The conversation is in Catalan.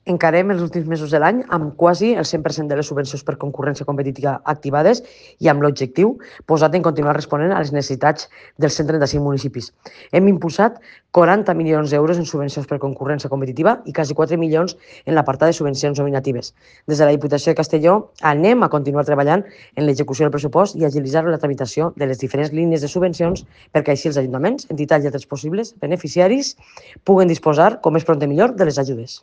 Encarem els últims mesos de l'any amb quasi el 100% de les subvencions per concurrència competitiva activades i amb l'objectiu posat en continuar responent a les necessitats dels 135 municipis. Hem impulsat 40 milions d'euros en subvencions per concurrència competitiva i quasi 4 milions en l'apartat de subvencions nominatives. Des de la Diputació de Castelló anem a continuar treballant en l'execució del pressupost i agilitzar la tramitació de les diferents línies de subvencions perquè així els ajuntaments, entitats i altres possibles beneficiaris puguen disposar, com més pront millor, de les ajudes.